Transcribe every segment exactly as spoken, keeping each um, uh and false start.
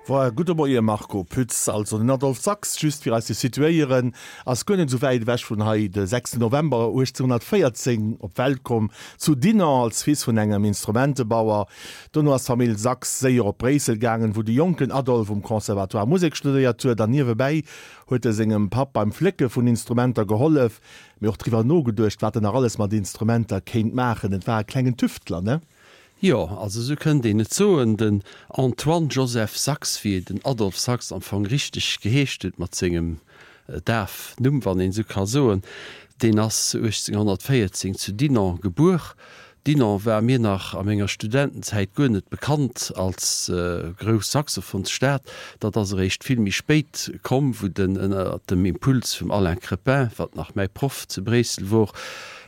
Voilà, gudde Moie Marco Pütz. Also den Adolphe Sax, just fir eis ze situéieren, ass guer net esou wäit ewech vun hei, de sechsten November uechtzénhunnertvéierzéng op d'Welt komm, zu Dinant als Fils vun engem Instrumentebauer. Dono ass d'Famill Sax séier op Bréissel gaangen, wou de jonken Adolphe um Conservatoire Musek studéiert huet an niewebäi huet e sengem Papp beim Flécke vun Instrumenter gehollef, mee och driwwer nogeduecht, wat en nach alles mat Instrumenter kéint maachen. Et war e klengen Tüftler, ne? Jo, also esou kënnt een et soen. Den Antoine Joseph Sax, wéi den Adolphe Sax am Fong richteg geheescht huet, mat sengem Dafnumm, wann een esou ka soen, deen ass uechtzénghonnertvéierzéng zu Dinant gebuer. Dinant war mir nach a menger Studentenzäit guer net bekannt als grouss Saxophonsstad. Dat ass eréischt vill méi spéit komm, wou den ënner dem Impuls vum Alain Crepin, wat nach mäi Proff zu Bréissel wor,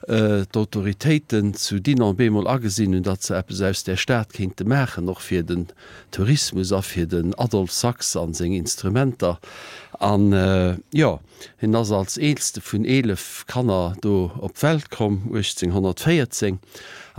d'Autoritéiten zu Dinant bemol agesinn hunn, datt se eppes aus där Stad kéinte maachen, och fir den Tourismus a fir den Adolphe Sax a seng Instrumenter. An, jo, hien ass als eelste vun eelef Kanner do op d'Welt komm, uechtzénghonnertvéierzéng.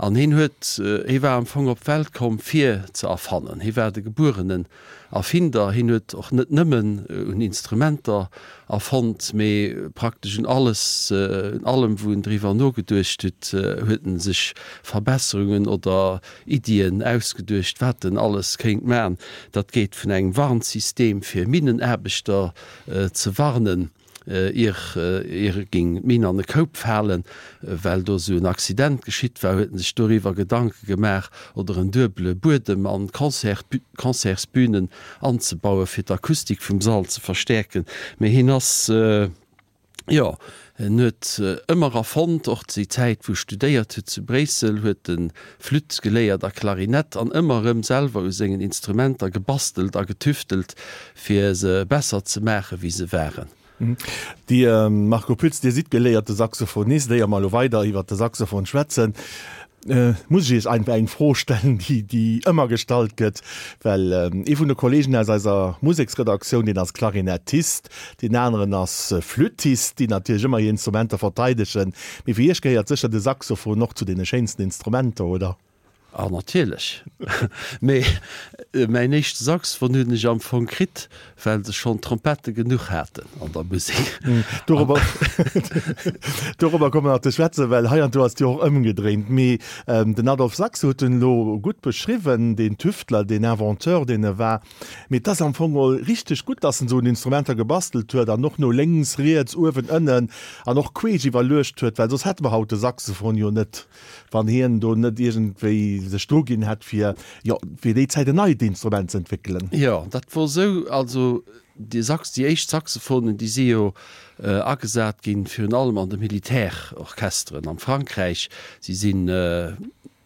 An hien huet, hie war am Fong op d'Welt komm, fir ze erfannen. Hie war de gebuerenen Erfinder. Hien huet och net nëmmen un Instrumenter erfonnt, mee praktesch un alles, un allem, wou en driwwer nogeduecht huet, huet en sech Verbesserungen oder Iddien ausgeduecht, wat en alles kéint man. Dat geet vun engem Warnsystem fir Minnenaarbechter ze warnen, ier ier géing d'Minn an e Koup falen, well do esou en Accident geschitt war, huet en sech doriwwer Gedanke gemaach, oder en duebele Buedem an d'Concertsbünen anzebauen, fir d'Akustik vum Sall ze verstäerken. Mee hien ass, jo, en huet ëmmer erfonnt, och déi Zäit wou e studéiert huet zu Bréissel, huet e Flütt geléiert a Klarinett an ëmmer erëm selwer u sengen Instrumenter gebastelt a getüftelt, fir se besser ze maachen, wéi se waren. Dir, Marco Pütz, Dir sidd geléierte Saxophonist. Éier mer elo weider iwwert de Saxophon schwätzen, muss ech Iech einfach eng Fro stellen, déi, déi ëmmer gestallt gëtt, well ee vun de Kollegen aus eiser Museksredaktioun, deen ass Klarinettist, deen aneren ass Flüttist, déi natierlech ëmmer hir Instrumenter verteidegen. Mee fir Iech gehéiert sécher de Saxophon och zu deene schéinsten Instrumenter, oder? Ah natierlech, mee mäin éischte Saxophon hunn ech am Fong kritt, well se schonn Trompette genuch haten an der Musek. Dorobber dorobber komme mer nach ze schwätzen, well hei an do ass et jo och ëmgedréint. Mee den Adolphe Sax huet en elo gutt beschriwwen, deen Tüftler, deen Inventeur, deen e war. Mee et ass am Fong geholl richteg gutt, datt en esou un Instrumenter gebastelt huet an och no lénks, riets, uewen, ënnen an och queesch iwwerluecht huet, well soss hätte mer haut de Saxophon jo net. Wann hien do net iergendwéi sech dru ginn hätt, fir, jo, fir déi Zäit en neit Instrument ze entwéckelen. Jo, dat wor esou. Also déi Sax, déi éischt Saxophonen, déi si jo agesat ginn, virun allem an de Militärorchesteren am Frankräich. Si sinn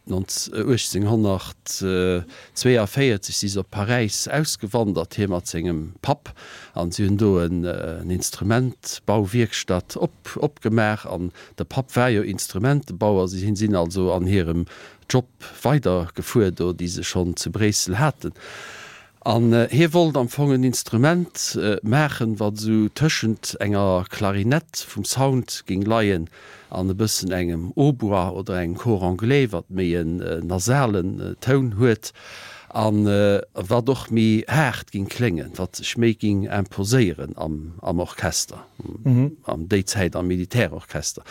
uechtzénghonnertzweeavéierzeg si se op Paräis ausgewandert, hie mat sengem Papp, an si hunn do en Instrumentbauwierkstatt op opgemaach. An de Papp war jo Instrumentebauer. Si sinn also an hirem Job weidergefuer do, déi se schonn zu Bréissel haten. An hie wollt am Fong en Instrument maachen, wat esou tëschent enger Klarinett vum Sound géing leien an e bëssen engem Hautbois oder engem Cor anglais, wat méi en nasalen Toun huet a wat och méi haart géing kléngen, wat sech méi géing imposéieren am Orchester, an déi Zäit am Militärorchester.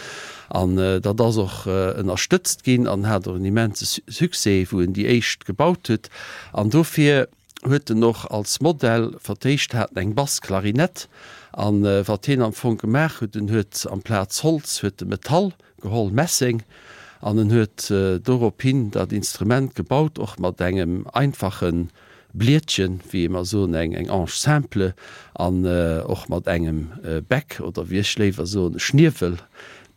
An dat ass och ënnerstëtzt ginn an hat och en immense Succès, wou en déi éischt gebaut huet. An dofir huet en och als Modell fir d'éischt hat en eng Bassklarinett an wat hien am Fong gemaach huet, en huet amplaz Holz huet e Metall geholl, Messeng, an en huet dorop hin dat Instrument gebaut, och mat engem einfache Blietchen, wéi mer soen, eng eng Anche simple an och mat engem Bec oder wéi ech léiwer soen, e Schniewel,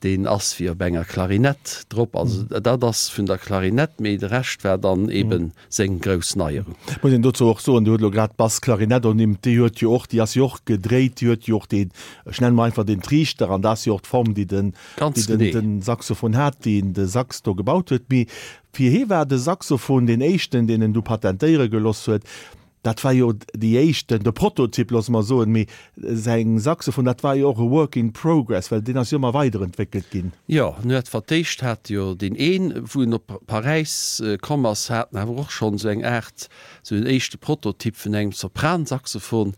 deen ass wéi op enger Klarinett drop. Also dat ass vun der Klarinett, mee de Rescht war dann eben seng grouss Neierung. Muss een dozou och soen, Dir hutt elo grad d'Bassklarinett ernimmt, déi huet jo och, déi ass jo och gedréit, déi huet jo och deen, ech nenne mol einfach den Triichter, an dat ass jo och d'Form, déi den, déi den, den Saxophon hat, deen de Sax do gebaut huet. Mee fir hie war de Saxophon deen éischten, deen en du patentéiere geloss huet. Dat war jo déi éischt, de Prototyp, loosse mer soen, mee säin Saxophon, dat war jo och e Work in progress, well deen ass jo ëmmer weiderentwéckelt ginn. Jo, en huet fir d'éischt hat jo deen een, wou en op Paräis komm ass, hat en awer och schonn esou eng Aart, esou en éischte Prototyp vun engem Sopransaxophon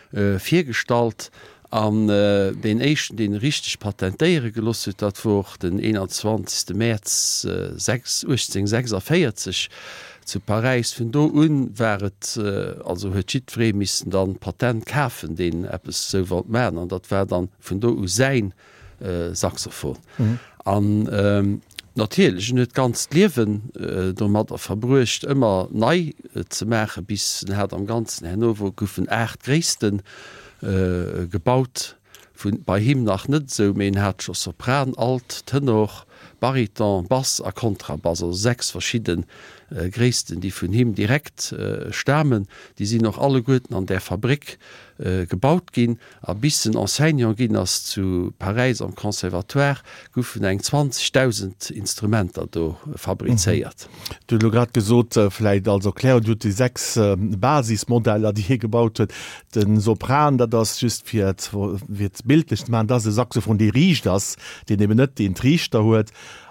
virgestallt. An deen éischten, deen e richteg patentéiere gelooss huet, dat wor den eenanzwanzegste Mäerz uechtzénhunnertsechsundvéierzeg zu Paräis. Vun do un war et, also huet jiddweree missen dann d'Patent kafen, deen eppes esou wollt maachen. An dat war dann vun do u säin Saxophon. An natierlech, en huet d'ganzt Liewen domadder verbruecht, ëmmer nei ze maachen, bis en hat am Ganzen, herno wou goufen aacht Gréisste gebaut, vun bei him nach net esou, mee en hat scho Sopran, Alt, Tenor, Bariton, Bass a Kontrabass, also sechs verschidde Gréissten, déi vun him direkt stamen. Déi sinn och alleguerten an där Fabréck gebaut ginn. A bis en Enseignant ginn ass zu Paräis am Conservatoire, goufen eng zwanzegdausend Instrumenter do fabrizéiert. Du hutt elo grad gesot, vläicht als Erklärung, Dir hutt déi sechs Basismodeller, déi hie gebaut huet. De Sopran, dat ass, just fir et bildlech ze maachen, dat ass e Saxophon, dee riicht ass, deen eben net deen Triichter huet.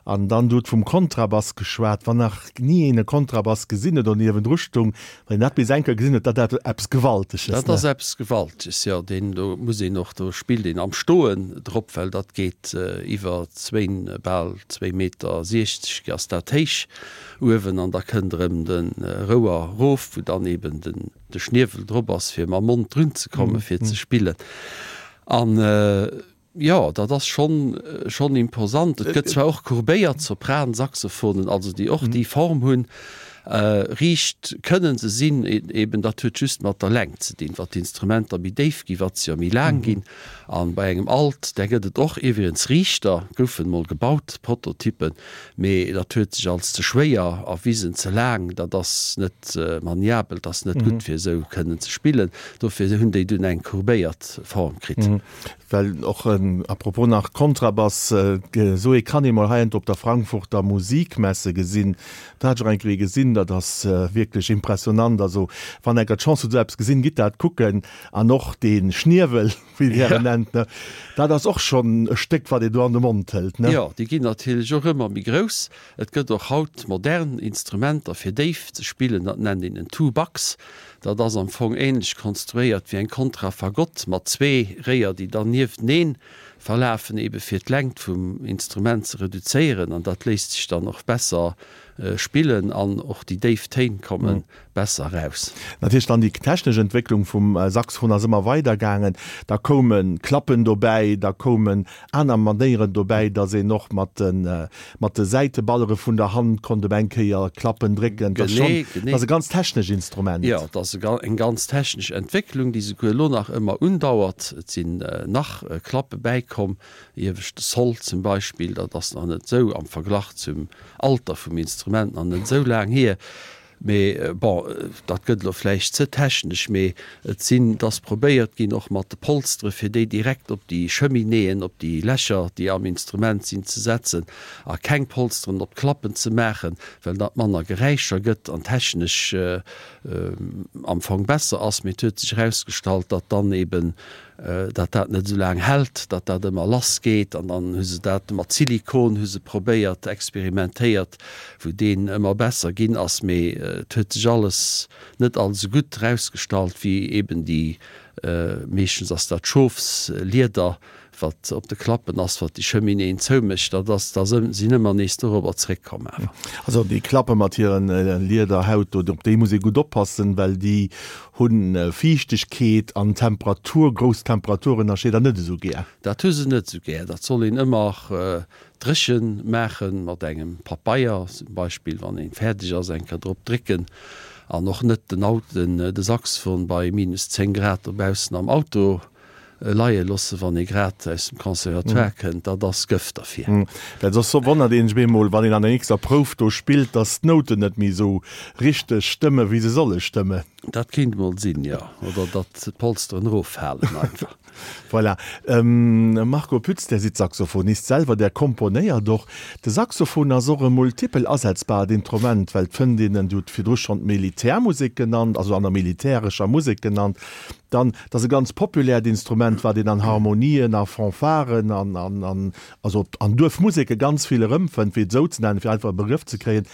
An dann, du hutt vum Kontrabass geschwat. Wann nach ni een e Kontrabass gesinn huet oder niewendru stung, wann een dat bis eng Kéier gesinn huet, dat ass eppes Gewalteges, ne? Dat ass eppes Gewalteges, jo. Deen do muss een och, do spillt een am Stoen drop, well dat geet iwwer zwéin, bal zwéi Meter siechzeg ass dat héich uewen. An da kënnt erëm de Rouer erof, wou dann eben den, de Schniewel drop ass, fir mam Mond drun ze kommen, fir ze spillen. An. Jo, dat ass schonn schonn imposant. Et gëtt zwar och courbéiert Sopran-Saxophonen, also déi och déi Form hunn. Riicht kënnen se sinn, eben dat huet just mat der Längt ze dinn. Wat d'Instrumenter méi déif ginn, wat se jo méi laang ginn. An bei engem Alt, där gëtt et och iwwregens riichter, goufen mol gebaut, Prototyppen, mee dat huet sech als ze schwéier erwisen, ze laang, dat ass net maniabel, dat ass net gutt fir esou kënnen ze spillen. Dofir hunn déi dunn eng courbéiert Form kritt. Well och, à propos nach Kontrabass, esou ee kann ee mol heiansdo op der Frankfurter Musikmesse gesinn. Dat hat ech och eng Kéier gesinn, dat ass wierklech impressionant. Also wann enker d'Chance hutt esou eppes gesinn, gitt dat kucken. An och dee Schniewel, wéi Dir en nennt, ne, dat ass och schonn e Stéck, wat ee do an de Mond hëlt, ne? Jo, déi ginn natierlech och ëmmer méi grouss. Et gëtt och haut modern Instrumenter fir déif ze spillen, dat nennt een en Tubax. Dat ass am Fong ähnlech konstruéiert wéi eng Kontrafagott mat zwee Réier, déi dann niefteneen verlafen, ebe fir d'Längt vum Instrument ze reduzéieren. An dat léisst sech dann och besser spillen an och déi déif Téin komme besser eraus. Natierlech dann déi technesch Entwécklung vum Saxophon ass ëmmer weider gaangen. Da koume Klappen dobäi, da koumen aner Manéieren dobäi, datt een och mat de mat de Säiteballere vun der Hand konnt op eng Kéier Klappen drécken. Dat ass schonn, dat ass e ganz technesch Instrument. Jo, dat ass eng ganz technesch Entwécklung, déi souguer elo nach ëmmer undauert. Et sinn nach Klappe bäikomm, ieweschte Sol zum Beispill, dat ass nach net esou am Verglach zum Alter vum Instrument nach net esou laang hier. Mee bon, dat gëtt elo vläicht ze technesch, mee et sinn, et ass probéiert ginn, och mat de Polstere fir déi direkt op déi Cheminéeën, op déi Lächer, déi am Instrument sinn, ze setzen a keng Polsteren op d'Klappen ze maachen, well dat manner Geräischer gëtt an technesch am Fong besser ass. Mee et huet sech erausgestallt, datt dann eeben datt dat net esou laang hält, datt dat ëmmer lass geet an dann hu se dat mat Silikon hu se probéiert, experimentéiert, wou deen ëmmer besser ginn ass, mee et huet sech alles net als esou gutt erausgestallt wéi eben déi, meeschtens ass dat Schofslieder, wat op de Klappen ass, wat déi Cheminéeën zoumécht, dat ass, da sinn ëmmer nees dorobber zréckkomm awer. Also déi Klappe mat hiren Liederhaut do, op déi muss ee gutt oppassen, well déi hunn Fiichtegkeet an Temperatur, grouss Temperaturënnerscheeder net esou gär. Dat hu se net esou gär. Dat soll een ëmmer dréchen maachen, mat engem Papeier zum Beispill, wann een fäerdeg ass, eng Kéier drop drécken an och net den Auto, de Saxophon bei minus zéng Grad dobaussen am Auto leie loossen, wann ee grad aus dem Conservatoire kënnt, dat ass Gëft derfir. Well soss wonnert een sech bemol, wann een an der nächster Prouf do spillt, dass d'Nouten net méi esou richteg stëmmen, wéi se solle stëmmen. Dat kéint emol sinn, jo. Oder datt d'Polsteren eroffalen einfach. Voilà. Marco Pütz, Där sidd Saxophonist selwer, Där komponéiert och. De Saxophon ass och e multipel asetzbart Instrument, well et fënnt een en, Dir hutt virdru schonn d'Militärmusek genannt, also an der militärescher Musek genannt. Dann, et ass e ganz populäert Instrument, wat een an Harmonien, a Fanfaren an, an, an, also an Duerfmuseke ganz vill erëmfënnt, fir et esou ze nennen, fir einfach e Begrëff ze kréien.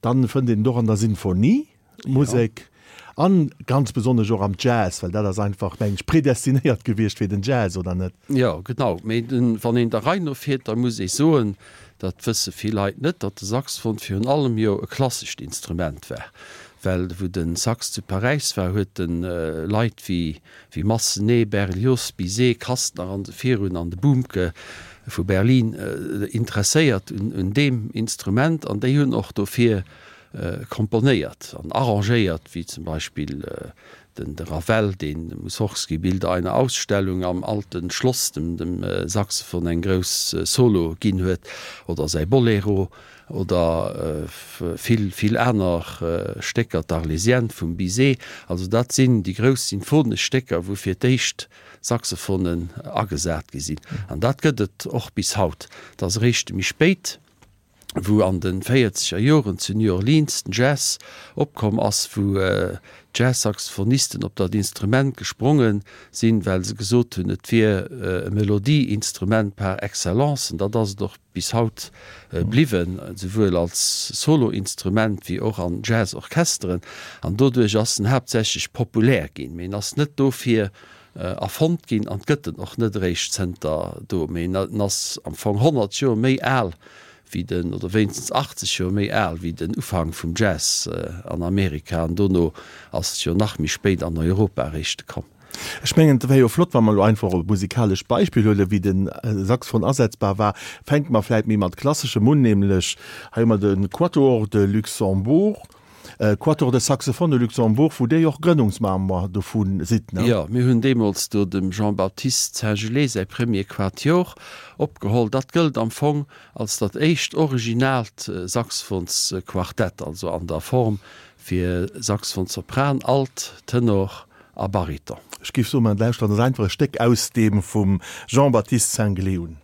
Dann fënnt een et och an der Sinfoniemusek an ganz besonnesch och am Jazz, well dat ass einfach, mengen ech, predestinéiert gewiescht fir den Jazz, oder net? Jo, genau. Mee wann een der Rei no fiert, da muss ee soen, dat wësse vill Leit net, datt de Saxophon virun allem jo e klassescht Instrument war. Well wou de Sax zu Paräis war, huet en Leit wéi wéi Massenet, Berlioz, Bizet, Kastner an esou virun an de Bumke vu Berlin interesséiert un deem Instrument an déi hunn och dofir komponéiert an arrangéiert, wéi zum Beispill den de Ravel, deen dem Mussorgsky Bilder einer Ausstellung am Alten Schloss dem dem Saxophon eng grouss Solo ginn huet, oder säi Bolero oder vill vill aner Stécker, d'Arlésienne vum Bizet. Also dat sinn déi grouss sinfonesch Stécker, wou fir d'éischt Saxophonen agesat gi sinn. An dat gëtt et och bis haut. Et ass eréischt méi spéit, wou an de véierzeger Joren zu New Orleans den Jazz opkomm ass, wou d'Jazz-Saxophonisten op dat Instrument gespronge sinn, well se gesot hunn, et wier e Melodieinstrument par excellence. An dat ass et och bis haut bliwwen, souwuel als Soloinstrument wéi och an Jazz-Orchesteren. An doduerch ass en haaptsächlech populär ginn. Mee en ass net dofir erfonnt ginn an gëtt en och net eréischt zënter do, mee en ass am Fong honnert Joer méi al wéi den, oder wéinstens achtzeg Joer méi al wéi den Ufank vum Jazz an Amerika, an dono ass et jo nach méi spéit an Europa eréischt komm. Ech mengen, et wär jo flott, wa mer elo einfach e musikalescht Beispill huelen, wéi de Saxophon asetzbar war. Fänke mer vläit méi mat Klasseschem un, nämlech hei hu mer de Quatuor de Luxembourg. Quatuor de Saxophones de Luxembourg, wou Dir jo och Grënnungsmember dovu sidd, ne? Jo, mir hunn deemools do dem Jean-Baptiste Singelée säi Premier Quatuor opgeholl. Dat gëllt am Fong als dat éischt originaalt Saxophonsquartett, also an der Form fir Saxophon-Sopran, Alt, Tenor a Bariton. Ech géif soen, mer lauschteren eis einfach e Stéck aus deem vum Jean-Baptiste Singelée un.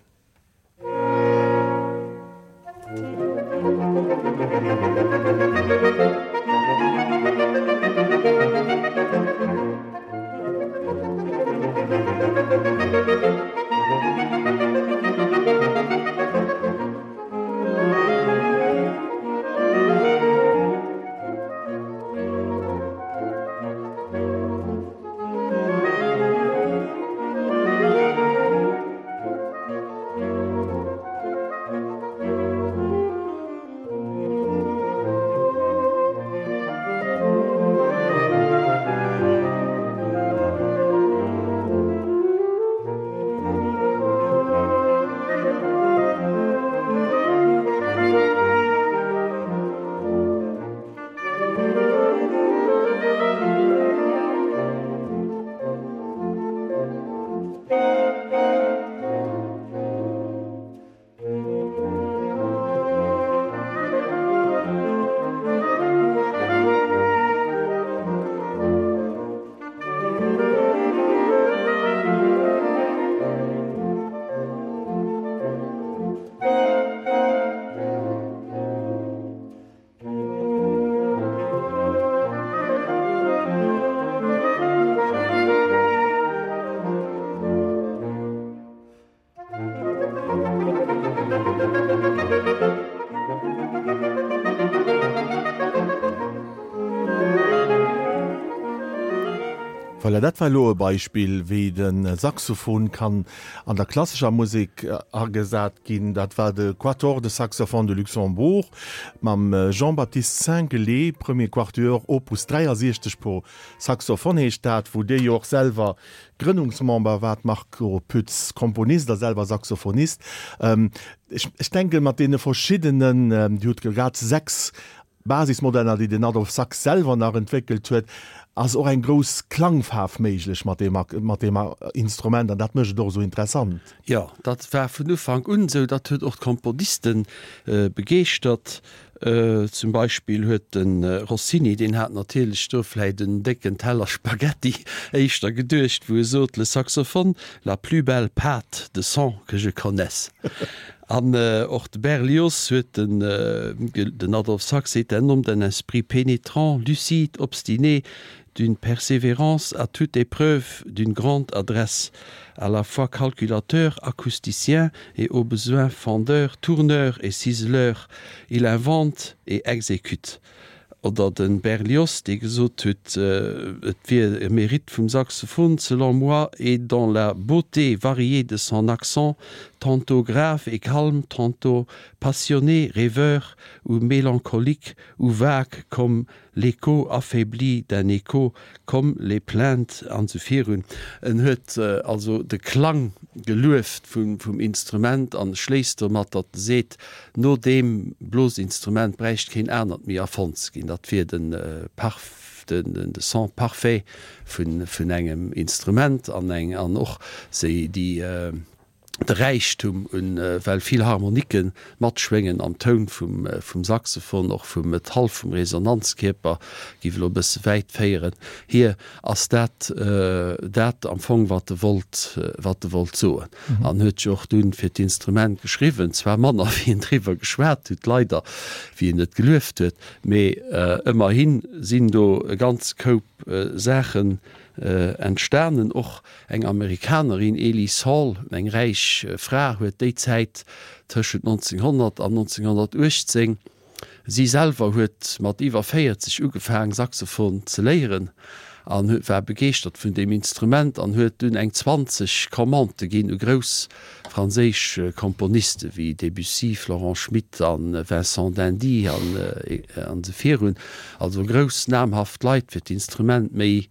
Voilà, dat war elo e Beispill, wéi de Saxophon kann an der klassescher Musek agesat ginn. Dat war de Quatuor de Saxophones de Luxembourg mam Jean-Baptiste Singelée, Premier Quatuor, Opus dräiasiechzeg pour Saxophone heescht dat, wou Dir jo och selwer Grënnungsmember waart, Marco Pütz, Komponist a selwer Saxophonist. Ech denken, mat deene verschiddenen, Dir hutt grad sechs Basismodeller, déi den Adolphe Sax selwer nach entwéckelt huet, ass och eng grouss Klangfaarf méiglech mat deem mat deem Instrument an dat mécht et och esou interessant. Jo, dat war vun Ufank un esou. Dat huet och d'Komponiste begeeschtert. Zum Beispill huet de Rossini, deen hat natierlech do vläit en décken Teller Spaghetti éischter geduecht, wou e sot, Le saxophone, la plus belle pâte de son que je connaisse. An och de Berlioz huet den, den Adolphe Sax est un homme d'un esprit pénétrant, lucide, obstiné, d'une persévérance à toute épreuve, d'une grande adresse, à la fois calculateur, acousticien et au besoin fendeur, tourneur et ciseleur. Il invente et exécute. Oder de Berlioz, dee gesot huet, et wier e Mérite vum Saxophon, selon moi, est dans la beauté variée de son accent, tantôt grave et calme, tantôt passionné, rêveur ou mélancolique ou vague comme l'écho affaibli d'un écho, comme les plaintes an esou virun. En huet also de Klang gelueft vum, vum Instrument an schléisst domat, datt e seet, no deem Blosinstrument bräicht keen anert méi erfonnt ze ginn. Dat wier den parf, den, den, de Son parfait vun, vun engem Instrument an eng, an och se déi, de Räichtum un, well vill Harmoniken matschwéngen am Toun vum, vum Saxophon, och vum Metall, vum Resonanzkierper, géif elo e bësse wäit féieren. Hier ass dat dat am Fong, wat e wollt, wat e wollt soen. An huet jo och dunn fir d'Instrument geschriwwen, zwar manner wéi en driwwer geschwat huet, leider, wéi en et gelueft huet, mee ëmmerhi sinn do e ganz Koup Saachen entstanen. Och eng Amerikanerin, Ellis Hall, eng räich Fra, huet déi Zäit tëschent nonzénghonnert an nonzénghonnertuechtzéng, si selwer huet mat iwwer véierzeg ugefaang Saxophon ze léieren an war begeeschtert vun deem Instrument an huet dunn eng zwanzeg Commandë ginn u grouss franséisch Komponiste wéi Debussy, Florent Schmitt a Vincent d'Indy an esou virun, also grouss namhaft Leit fir d'Instrument méi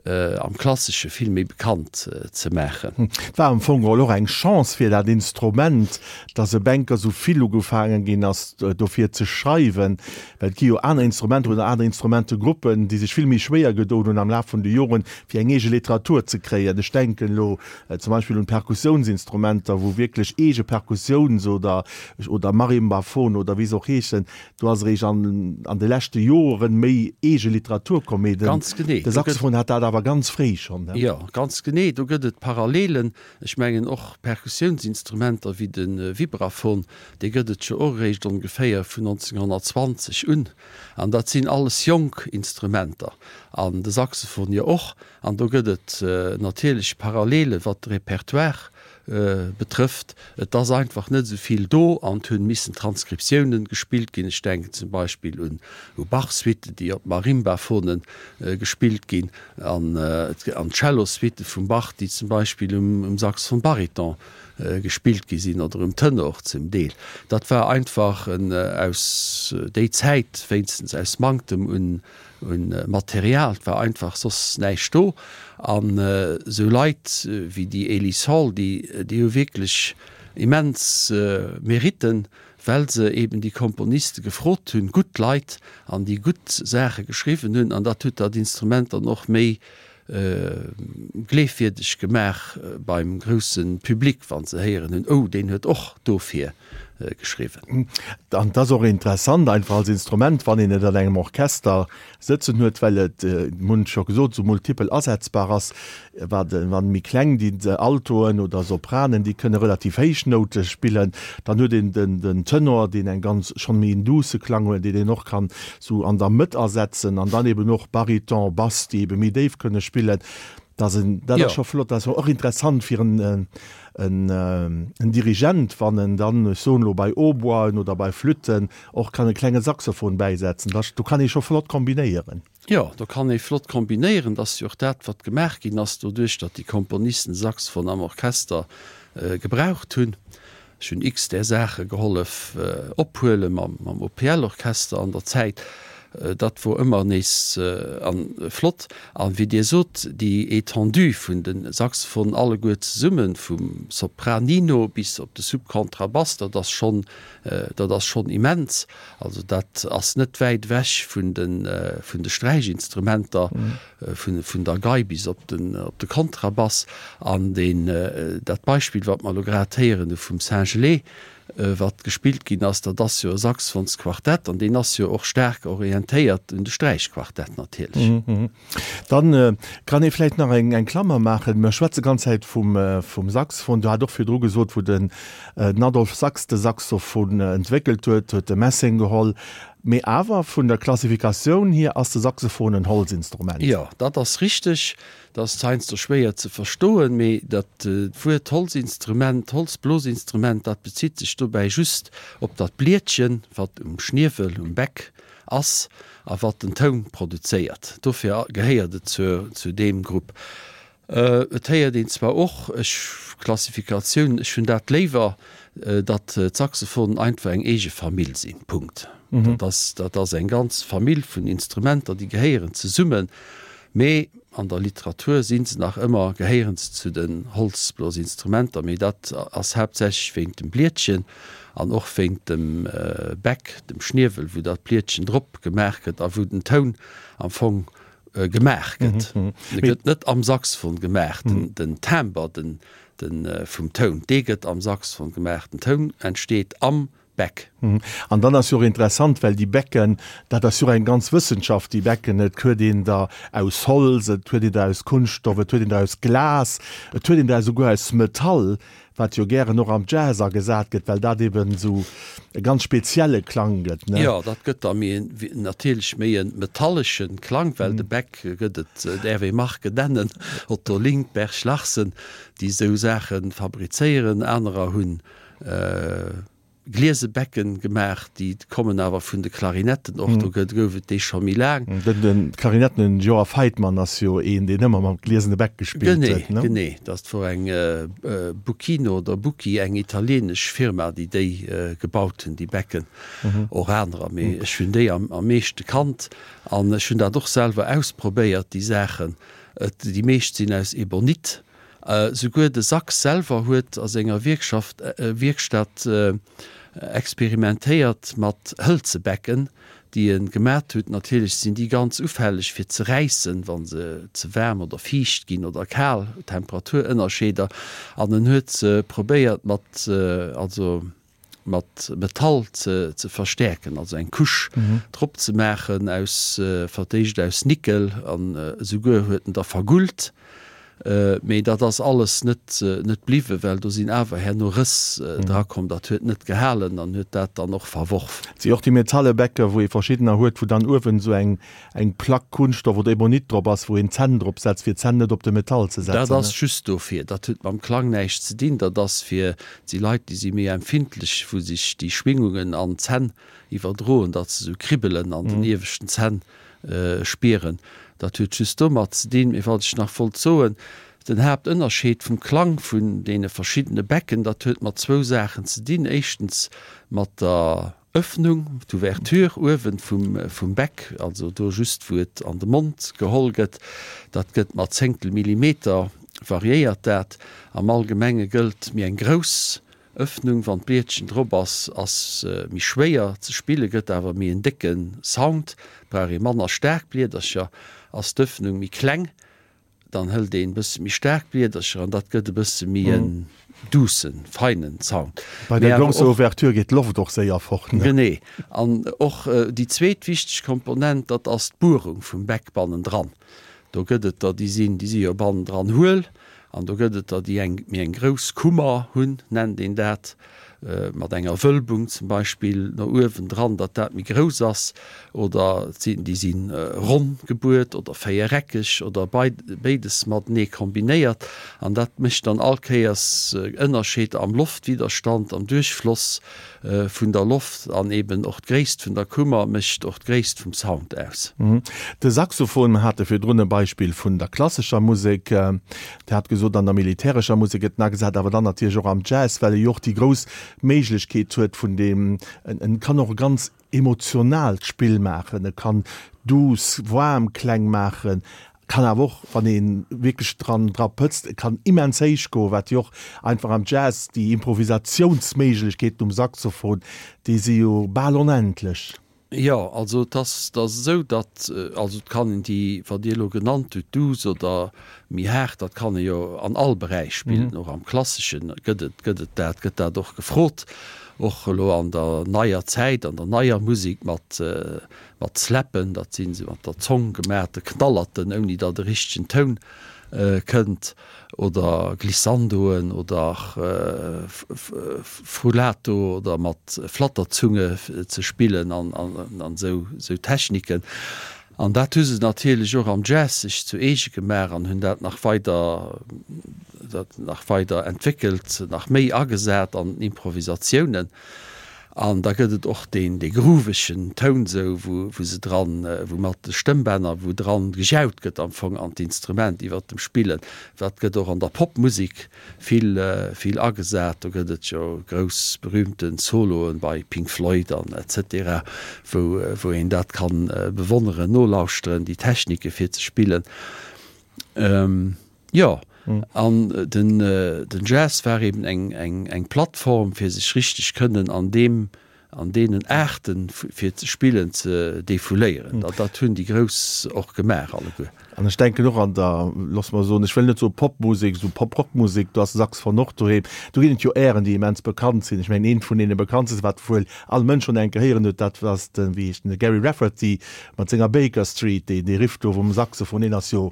am Klassesche vill méi bekannt ze maachen. Et war am Fong geholl och eng Chance fir dat Instrument, dass e Bänker esou vill ugefaange ginn ass dofir ze schreiwen, well et gi jo aner Instrumenter oder aner Instrumentegruppen, déi sech vill méi schwéier gedoen hunn am Laf vun de Joren, fir eng eege Literatur ze kréien. Ech denken elo zum Beispill un d'Perkussiounsinstrumenter, wou wierklech eege Perkussiouns oder oder Marimbaphon oder wéi se och heeschen, do ass eréischt an an de leschte Joren méi eege Literatur komm, mee den Ganz genee, de do gëtt. Saxophon hat dat awer ganz fréi schonn, ne? Jo, ganz genee, do gëtt et Parallelen. Ech mengen och Perkussiounsinstrumenter wéi de Vibraphon, dee gëtt et jo och eréischt ongeféier vun nonzénghonnertzwanzeg un. An dat sinn alles jonk Instrumenter, an de Saxophon jo och. An do gëtt et natierlech Parallelen, wat de Repertoire betrëfft. Et ass einfach net esou vill do an et hunn missen Transkriptiounen gespillt ginn. Ech denken zum Beispill un u Bach-Suiten, déi op Marimbaphonen gespillt ginn, an an d'Cello-Suitte vum Bach, déi zum Beispill um um Saxophon Baryton gespillt gi sinn oder um Tenor zum Deel. Dat war einfach en aus déi Zäit wéinstens aus Manktem un un Material, et war einfach soss näischt do. An esou Leit wéi déi Ellis Hall, déi, déi hu wierklech immens Meritten, well se eben déi Komponiste gefrot hunn, gutt Leit, an déi gutt Saache geschriwwen hunn. An dat huet dat Instrument dann och méi gleefwierdeg gemaach beim grousse Public, wa se héieren hunn, Oh, deen huet och dofir geschriwwen. An et ass och interessant einfach als Instrument, wann een et an engem Orchester sëtzen huet, well et, mir hunn et scho gesot, esou multipel asetzbar ass. Wat wann méi kleng déi Altoen oder Sopranen, déi kënne relativ héich Noute spillen. Dann huet een den, den Tenor, deen eng ganz schonn méi en douce Klang huet, deen een och kann sou an der Mëtt asetzen an dann eben och Bariton, Bass, déi ebe méi déif kënne spillen. Dat ass en, dat ass Jo. scho flott. Dat ass och interessant fir en, en, en Dirigent, wann en dann, ech soen elo bei Hautboisen oder bei Flütten och kann e klenge Saxophon bäisetzen. Da, do kann ee scho flott kombinéieren. Jo, do kann ee flott kombinéieren. Dat ass jo och dat, wat gemaach ginn ass, doduerch datt déi Komponisten Saxophon am Orchester gebraucht hunn. Ech hunn x där Saache gehollef ophuele mam mam O P L-Orchester an der Zäit. Dat wor ëmmer nees an flott. An wéi Dir sot, déi Étendue vun de Saxophonen alleguer zesummen, vum Sopranino bis op de Subkontrabass, dat ass schonn, dat ass schonn immens. Also dat ass net wäit ewech vun de vun de Sträichinstrumenter, vun vun der Gei bis op den op de Kontrabass. An deen dat Beispill, wat mer elo grad héieren hu vum Singelée, wat gespillt ginn ass, dat ass jo e Saxophonsquartett an deen ass jo och staark orientéiert un de Sträichquartett natierlech. Dann kann ee vläicht nach eng Klammer maachen. Mer schwätze ganz Zäit vum vum Saxophon. Du hat och virdru gesot, wou den Adolphe Sax de Saxophon entwéckelt huet, huet e Messeng geholl. Mee awer vun der Klassifikatioun hier ass de Saxophon en Holzinstrument. Jo, dat ass richteg. Dat ass heiansdo schwéier ze verstoen, mee dat Wuert Holzinstrument, Holzblosinstrument, dat bezitt sech dobäi just op dat Blietchen, wat um Schniewel, um Bäck ass a wat den Toun produzéiert. Dofir gehéiert et zur, zu deem Grupp. Et héiert een zwar och, ech, Klassifikatioun, ech hunn dat léiwer, datt d'Saxophonen einfach eng eege Famill sinn, Punkt. Dat ass, dat ass eng ganz Famill vun Instrumenter, déi gehéieren zesummen, mee an der Literatur si se nach ëmmer, gehéieren se zu den Holzblosinstrumenter, mee dat ass haaptsächlech wéint dem Blietchen an och wéint dem Bäck, dem Schniewel, wou dat Blietchen drop gemaach gëtt a wou den Toun am Fong gemaach gëtt. E gëtt net am Saxophon gemaach, den Timbre den vum Toun, dee gëtt am Saxophon gemaach. Den Toun entsteet am Bäck. An dann ass jo och interessant, well déi Bäcken, dat ass jo och eng ganz Wëssenschaft, déi Bäcken, et huet een der aus Holz, et huet een der aus Kunststoff, et huet een der aus Glas, et huet een der esouguer aus Metall, wat jo gären och am Jazz agesat gëtt, well dat eben esou e ganz spezielle Klang gëtt, ne? Jo, dat gëtt da méi en, natierlech méi e metallesche Klang, well de Bäck gëtt et, däerf ee Marken nennen, Otto Link, Berg Larsen, déi esou Saache fabrizéieren. Anerer hunn gliese Becken gemaach, déi kommen awer vun de Klarinetten och, do gëtt, gouf et déi scho méi laang. Den, den Klarinetten Joa Feitmann ass jo een, deen ëmmer mam gliesene Beck gespillt huet, ne? Genee, genee. Dat wor eng Bucchino oder Bucchi, eng italienesch Firma, déi déi gebaut hunn, déi Becken. Och anerer, mee ech hunn déi am, am meeschte kannt an ech hunn dat och selwer ausprobéiert, déi Saachen. Et, déi meescht sinn aus Ebonit. Souguer de Sachs selwer huet a senger Wierkschaft, Wierkstatt experimentéiert mat hëlze Becken, déi e gemat huet. Natierlech sinn déi ganz ufälleg fir ze räissen, wa se ze waarm oder fiicht ginn oder kal, Temperaturënnerscheeder. An en huet se probéiert mat, also mat Metall ze ze verstäerken, also eng Couche drop ze maachen aus, fir d'éischt aus Nickel an esouguer huet en der vergullt. Mee dat ass alles net net bliwwen, well do sinn awer herno Rëss drakomm. Dat huet net gehalen an huet dat dann och verworf. Et si och déi metalle Bäcker, wou ee verschiddener huet, wou dann uewen esou eng eng Plack Kunststoff oder Ebonit drop ass, wou een d'Zänn drop setzt, fir d'Zänn net op de Metall ze setzen. Dat ass just dofir. Dat huet mam Klang näischt ze dinn. Dat ass fir, et si Leit, déi si méi empfindlech, wou sech déi Schwingungen an d'Zänn iwwerdroen, datt se esou Kribbelen an den ieweschten Zänn spieren. Dat huet just domat ze dinn. Mee wat ech nach wollt soen, den Haaptënnerscheed vum Klang vun deene verschiddene Becken, dat huet mat zwou Saachen ze dinn. Éischtens mat der Öffnung, d'Ouverture uewen vum, vum Beck, also do just wou et an de Mond geholl gëtt. Dat gëtt mat Zéngtel Millimeter variéiert dat. Am Allgemenge gëllt, méi eng grouss Öffnung, wann d'Blietchen drop ass, ass méi schwéier ze spillen, gëtt awer méi en décke Sound, brauch ee manner staark Bliedercher. Ass d'Öffnung méi kleng, dann hëlt een bësse méi staark Bliedercher an dat gëtt e bësse méi en duussen, feinen Sound. Bei der grousser Ouverture geet d'Loft och séier fort, ne? Genee. An och déi zweet wichteg Komponent, dat ass d'Buerung vum Beck bannendran. Do gëtt et der, déi sinn, déi si jo bannendran huel, an do gëtt et der, déi eng méi eng grouss Kummer hunn, nennt een dat, mat enger Wölbung zum Beispill no uewen dran, datt dat méi grouss ass, oder et sinn, déi si ronn gebuert oder véiereckeg oder béides matenee kombinéiert. An dat mécht dann all Kéiers Ënnerscheeder am Loftwiderstand, am Duerchfloss vun der Loft an eben och d'Gréisst vun der Kummer mécht och d'Gréisst vum Sound aus. De Saxophon, mer hate virdrun e Beispill vun der klassescher Musek, Dir hat gesot, an der militärescher Musek gëtt en agesat, awer dann natierlech och am Jazz, well e jo och déi grouss Méiglechkeet huet vun deem, en kann och e ganz emotionaalt Spill maachen, e kann duuss, waarm Kläng maachen, kann awer och, wann ee wierklech dran dra pëtzt, e kann immens héich goen, wat jo och einfach am Jazz déi Improvisatiounsméiglechkeeten um Saxophon, déi si jo bal onendlech. Jo, also et ass, et ass esou, datt, also et kann een déi, wat Dir elo genannt hutt, douce oder méi haart, dat kann ee jo an all Beräich spillen, och am Klassesche gëtt et, gëtt et dat, gëtt dat och gefrot, och elo an der neier Zäit, an der neier Musek mat, mat Slappen, dat sinn esou mat der Zong gemaachte Knallerten, ouni datt e richtegen Toun kënnt, oder Glissandoen oder Frullato oder mat Flatterzunge ze spillen an esou Techniken. An dat hu se natierlech och am Jazz sech zu eege gemaach an hunn dat nach weider dat nach weider entwéckelt, nach méi agesat an den Improvisatiounen. An da gëtt et och deen dee groovegen Toun esou, wou wou se dran, wou mat de Stëmmbänner, wou dran gejaut gëtt am Fong an d'Instrument iwwert dem Spillen. Dat gëtt och an der Popmusek vill vill agesat. Do gëtt et jo grouss berühmte Soloen bei Pink Floyd an et cetera, wou wou een dat kann bewonneren, nolauschteren, déi Technike fir ze spillen. Jo, an den den Jazz war eben eng eng eng Plattform fir sech richteg kënnen an deem an deenen Aarten fir ze spillen ze defouléieren. Dat dat hunn déi Grouss och gemaach alleguer. An ech denken och an der, loosse mer soen, ech wëll net soe Popmusek, esou Pop-Rock-Musek, do ass de Saxophon och doheem. Do ginn et jo Airen, déi immens bekannt sinn. Ech mengen, eent vun deene bekanntste, wat wuel all Mënsch schonn eng Kéier héieren huet, dat ass den, wéi heescht en, de Gerry Rafferty mat senger Baker Street, deen dee Riff do vum Saxophon, deen ass jo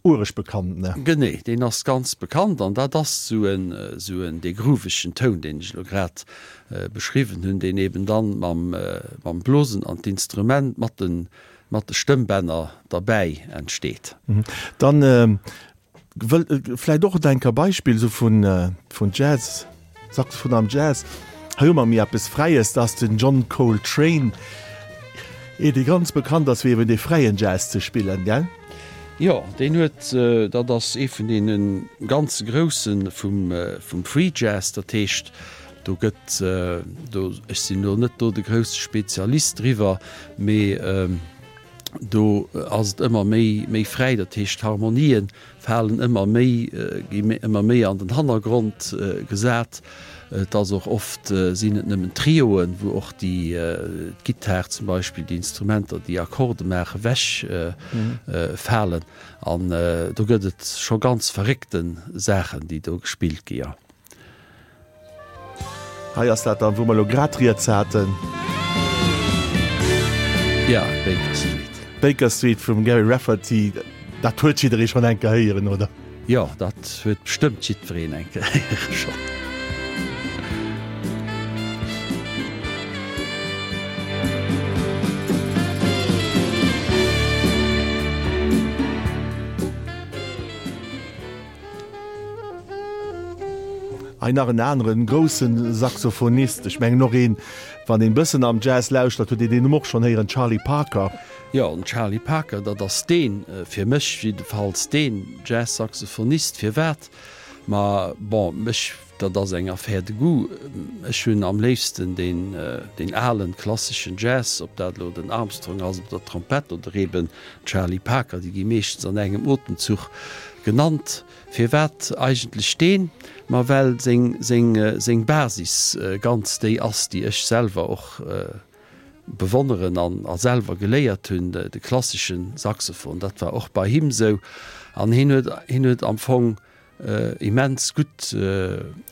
Uereg bekannt, ne? Genee, deen ass ganz bekannt an dat ass esou en, esou en, dee groovegen Toun, deen ech elo grad beschriwwen hunn, deen eben dann mam, mam Blosen an d'Instrument mat de, mat de Stëmmbänner derbäi entsteet. Dann wëll vläicht och et enker Beispill esou vun, vun Jazz, Saxophon am Jazz. Hei hu mer méi eppes Fräies, dat ass den John Coltrane, ee dee ganz bekannt ass fir eben dee fräien Jazz ze spillen, gell? Jo, deen huet, dat ass ee vun deene ganz Grousse vum, vum Free Jazz. Dat heescht, do gëtt, do, ech sinn elo net do de grousse Spezialist driwwer, mee do ass et ëmmer méi, méi fräi. Dat heescht, d'Harmonien falen ëmmer méi, gi ëmmer méi an den Hannergrond gesat. Et ass och oft, sinn et nëmmen Trioen, wou och déi, d'Gittar zum Beispill, déi Instrumenter, déi Akkorde maachen, ewech falen. An do gëtt et scho ganz verréckte Saachen, déi do gespillt gi, jo. Hei ass dat dann, wou mer elo grad rieds haten. Ja, Baker Street. Baker Street vum Gerry Rafferty, dat huet jidderee schonn eng Kéier héieren, oder? Jo, dat huet bestëmmt jiddwereen eng Kéier héiere schonn. Hei nach en aneren groussen Saxophonist, ech mengen och een, wann een bëssen am Jazz lauschtert, huet een deen Numm och schonn héieren, Charlie Parker. Jo, den Charlie Parker, dat ass deen, fir mech jiddefalls deen Jazz-Saxophonist. Firwat? Ma bon, mech, dat ass eng Affaire de goût, ech hunn am léifsten deen, deen alen, klasseschen Jazz, ob dat elo den Armstrong ass op der Trompett oder eben Charlie Parker, déi gi meeschtens an engem Otemzuch genannt. Firwat eigentlech deen? Ma well seng, seng, seng Basis ganz déi ass, déi ech selwer och bewonneren an a selwer geléiert hunn, de klassesche Saxophon. Dat war och bei him esou. An hien huet, hien huet am Fong immens gutt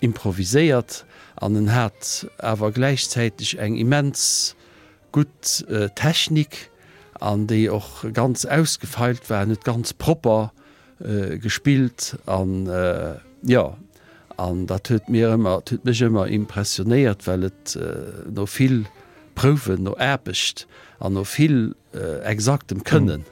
improviséiert an en hat awer gläichzäiteg eng immens gutt Technik an déi och ganz ausgefeilt war. En huet ganz propper gespillt an jo, an dat huet mir ëmmer, huet mech ëmmer impressionéiert, well et no vill Prouwen, no Aarbecht an no vill exaktem Kënne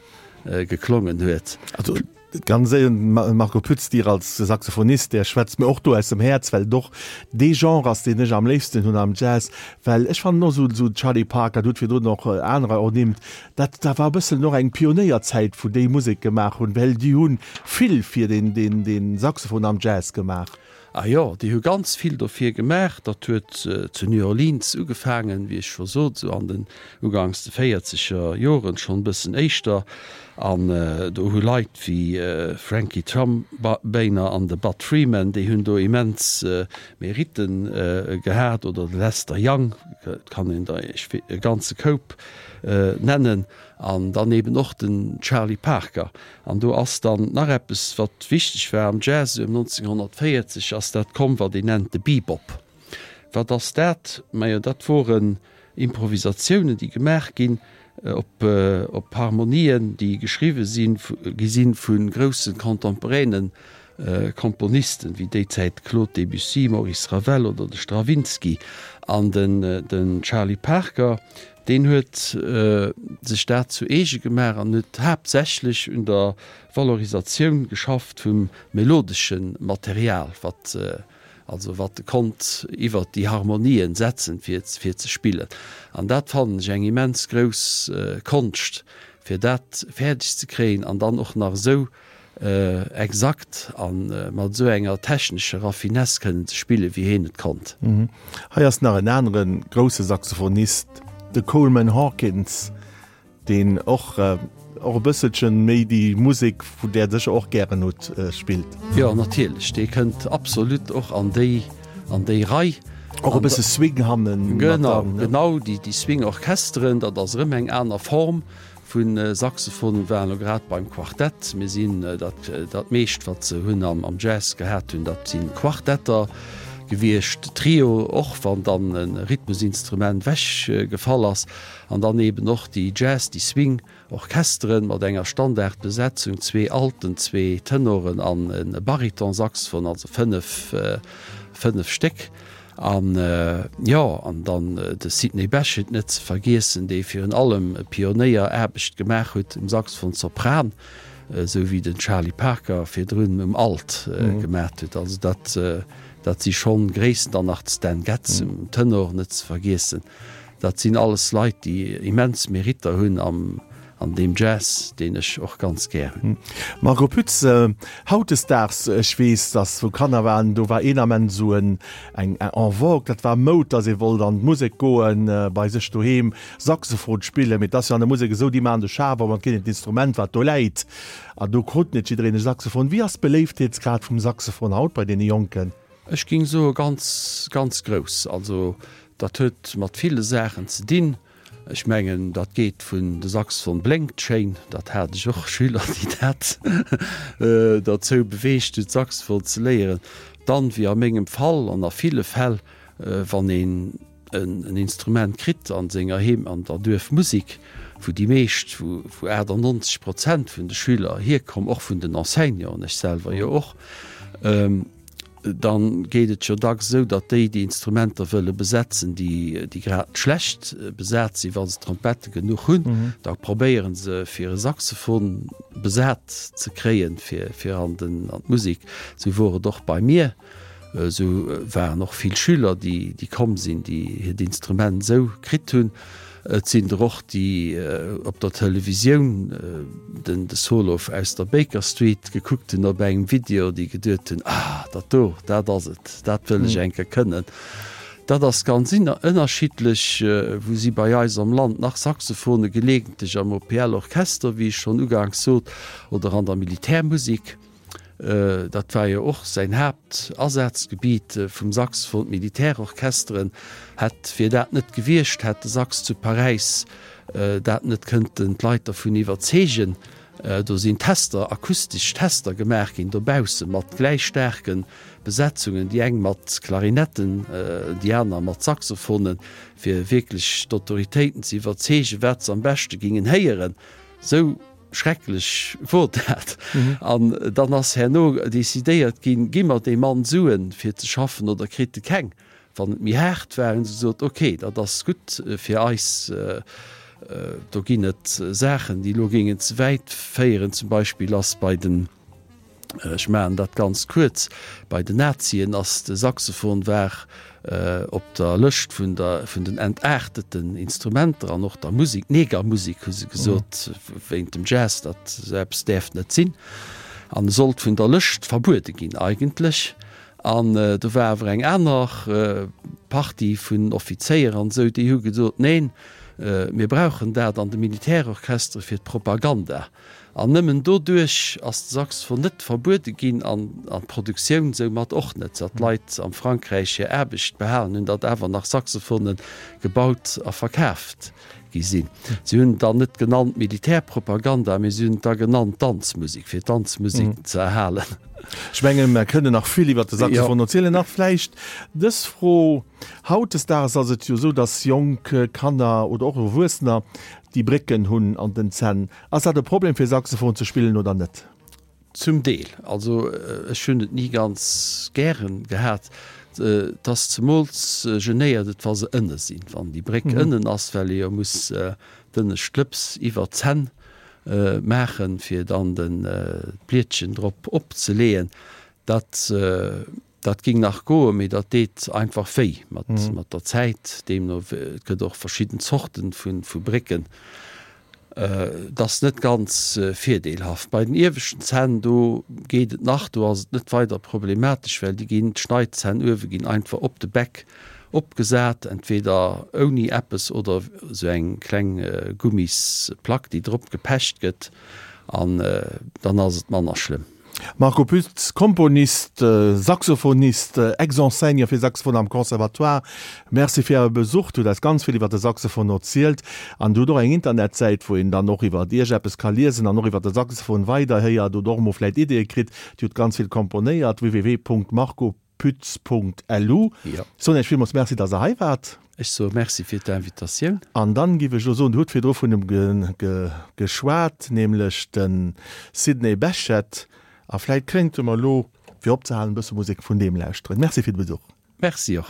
geklongen huet. Also ganz éier, Marco Pütz, Dir als Saxophonist, där schwätzt mir och do aus dem Häerz, well et och dee Genre ass, deen ech am léifsten hunn am Jazz, well ech fannen och esou Charlie Parker, Der hutt virdrun och anerer ernimmt, dat dat war e bëssen och eng Pionéierzäit, wou déi Musek gemaach hunn, well déi hu vill fir den den den Saxophon am Jazz gemaach. Ah jo, déi hu ganz vill dofir gemaach. Dat huet zu New Orleans ugefaangen, wéi ech scho sot, esou an den ugangs de véierzeger Joren, schonn e bëssen éischter. An do hu Leit wéi Frankie Trumbiner an de Bud Freeman, déi hunn do immens Meritten gehat, oder de Lester Young, et kann een der e ganze Koup nennen, an dann eben och den Charlie Parker. An do ass dann nach eppes, wat wichteg war am Jazz, ëm nonzénghonnertvéierzeg ass dat komm, wat een nennt de Bebop. Wat ass dat? Majo, dat woren Improvisatiounen, déi gemaach ginn op op Harmonien, déi geschriwwe sinn gi sinn vu grousse contemporainen Komponisten, wéi déi Zäit Claude Debussy, Maurice Ravel oder de Stravinsky. An den den Charlie Parker, deen huet sech dat zu eege gemaach an huet haaptsächlech un der Valorisatioun geschafft vum melodesche Material, wat Also wat e konnt iwwert déi Harmonien setzen, fir fir ze spillen. An dat fannen ech eng immens grouss Konscht, fir dat fäerdeg ze kréien an dann och nach esou exakt a mat esou enger technescher Raffinesse kënnen ze spillen, wéi heen et konnt. Hei ass nach en anere grousse Saxophonist, de Coleman Hawkins. Deen och och e bësselchen méi déi Musek, vun där Der sécher och gären hutt, spillt. Jo, natierlech, dee kënnt absolut och an déi, an déi Rei. Och e bësse Swing hannen mat dran, ne? Genau, genau, déi, déi Swing-Orchesteren, dat ass erëm eng aner Form vu Saxophon. Mir waren elo grad beim Quartett. Mir sinn dat, dat meescht, wat se hunn am, am Jazz gehat hunn, dat si Quartetter gewiescht, Trio och, wann dann e Rhythmusinstrument wech gefall ass. An dann eben och déi Jazz-, déi Swing-Orchesteren mat enger Standardbesetzung, zwee Alten, zwee Tenoren an e Baritonsaxophon, also fënnef, fënnef Stéck. An, jo, an dann de Sidney Bechet net ze vergiessen, dee virun allem Pionéieraarbecht gemaach huet um Saxophon Sopran, esou wéi den Charlie Parker virdrun um Alt gemaat huet. Also dat, dat si schonn Gréissten. Dann nach de Stan Getz um Tenor net ze vergiessen. Dat sinn alles Leit, déi immens Meritter hunn am, an deem Jazz, deen ech och ganz gär hunn. Marco Pütz, Hautdesdaags, ech weess, datt wou Kanner waren, do war een Ament esou en, eng en vogue, dat war Moud, datt ee wollt an d'Musek goen, bei sech doheem Saxophon spillen. Mee et ass jo an der Musek esou, déi maachen de Schaf op an et ginn hinnen d'Instrument, wat do läit. An do krut net jiddereen e Saxophon. Wéi ass d'Beléiftheetsgrad vum Saxophon haut bei deene Jonken? Ech géing soe ganz, ganz grouss. Also dat huet mat ville Saachen ze dinn. Ech mengen, dat geet vun de Saxophon blénkt schéin, dat hat ech och Schüler, déi dat derzou beweegt huet, Saxophon ze léieren. Dann, wéi a mengem Fall an a ville Fäll, wann een en Instrument kritt a senger Heem, an der Duerfmusik, wou déi meescht, wou achtannonzeg Prozent vun de Schüler hierkomm, och vun den Enseignanten, ech selwer jo och, dann geet et jo dacks esou, datt déi, déi Instrumenter wëlle besetzen, déi, déi grad schlecht besat sinn, wa se Trompette genuch hunn, da probéiere se fir e Saxophon besat ze kréien, fir, fir an den, an d'Musek. Esou wor et och bei mir. Esou waren och vill Schüler, déi, déi komm sinn, déi hiert Instrument esou kritt hunn. Et sinn der och, déi op der Televisioun den de Solo aus der Baker Street gekuckt hunn op engem Video, déi geduet hunn, Ah, dat do, dat ass et, dat wëll ech eng Kéier kënnen. Dat ass ganz ënnerschiddlech, wou si bei eis am Land nach Saxophone gelegentlech am O P L-Orchester, wéi ech schonn uganks sot, oder an der Militärmusek. Dat war jo och säin Haaptasazgebiet vum Saxophon, d'Militärorchesteren. Hätt, wier dat net gewiescht, hätt de Sax zu Paräis dat net kënnten d'Leit dervun iwwerzeegen. Do sinn Tester, akustesch Tester gemaach ginn dobausse mat gläich staarke Besetzungen, déi eng mat Klarinetten, déi aner mat Saxophonen, fir wierklech d'Autoritéiten ze iwwerzeegen, wat se am beschte gingen héieren. Sou Schrecklech wor dat. An dann ass herno decidéiert ginn, Gi mer deem Mann Suen, fir ze schaffen, oder kritt e keng? Wann et méi haart war, hunn se gesot, Ok, dat ass gutt fir eis. Do ginn et Saachen, déi elo géingen ze wäit féieren. Zum Beispill ass bei den Ech maachen dat ganz kuerz, Bei den Nazien ass de Saxophon war op der Lëscht vun der vun den entaarteten Instrumenter an och der Musik, Negermusik hu se gesot, wéint dem Jazz, dat esou eppes däerft net sinn an e sollt vun der Lëscht verbuede ginn eigentlech. An do war awer eng aner Partie vun Offizéier an esou, déi hu gesot, neen, Mir brauchen dat an de Militärorchestere fir d'Propaganda. An nëmmen doduerch ass de Saxophon net verbuede ginn an an d'Produktioun soumat och net, datt d'Leit am Frankräich hir Aarbecht behalen hunn, datt awer nach Saxophone gebaut a verkaaft gi sinn. Si hunn et dann net genannt Militärpropaganda, mee si hunn et da genannt Danzmusek, fir d'Danzmusek ze erhalen. Ech mengen, mer kënnen nach vill iwwert de Saxophon erzielen. Nach vläicht dës Fro, Hautdesdaags ass et jo esou, datt jonk Kanner oder och Erwuessener déi Brécken hunn an den Zänn. Ass dat e Problem fir Saxophon ze spillen oder net? Zum Deel. Also ech hunn et ni ganz gären gehat. Et ass zemools genéiert et wa se ënne sinn, wann déi Bréck ënnen ass, well ee jo muss d'ënnescht Lëps iwwer d'Zänn maachen, fir dann den d'Blietchen drop opzeleeën. Dat Dat ging nach goen, mee dat deet einfach wéi mat mat der Zäit. Deemno et gëtt och verschidden Zorten vu vu Brécken. Et ass net ganz virdeelhaft. Bei den ieweschten Zänn do geet et nach, do ass et net weider problematesch, well déi ginn, d'Schneidzänn uewe ginn einfach op de Bäck opgesat, entweder ouni eppes oder esou eng kleng Gummisplack déi drop gepecht gëtt an dann ass et manner schlëmm. Marco Pütz, Komponist, Saxophonist, Ex-Enseignant fir Saxophon am Conservatoire, Merci fir Äre Besuch. Dir hutt eis ganz vill iwwer de Saxophon erzielt an Dir hutt och eng Internetsäit, wou een dann och iwwer Iech eppes ka liesen an och iwwer de Saxophon weiderhéiert oder och emol vläicht Ideeë kritt. Dir hutt ganz vill komponéiert, www.marcopütz.lu. Jo. Soen Iech villmools Merci, dass Der hei waart. Ech soe Merci fir d'Invitatioun. An dann giff ech elo soen, Dir hutt virdru vun em geschwat, nämlech de Sidney Bechet. A vläit kéinte mer elo, fir opzehalen, e bësse Musek vun deem lauschteren. Merci fir de Besuch. Merci och.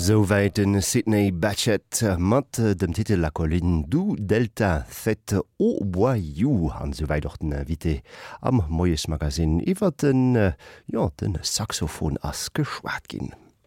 Souwäit den Sidney Bechet mat dem Titel La colline du Delta faite au boyau an souwäit och den Invité am Moiesmagazin. Iwwer den, jo, den Saxophon ass geschwat ginn.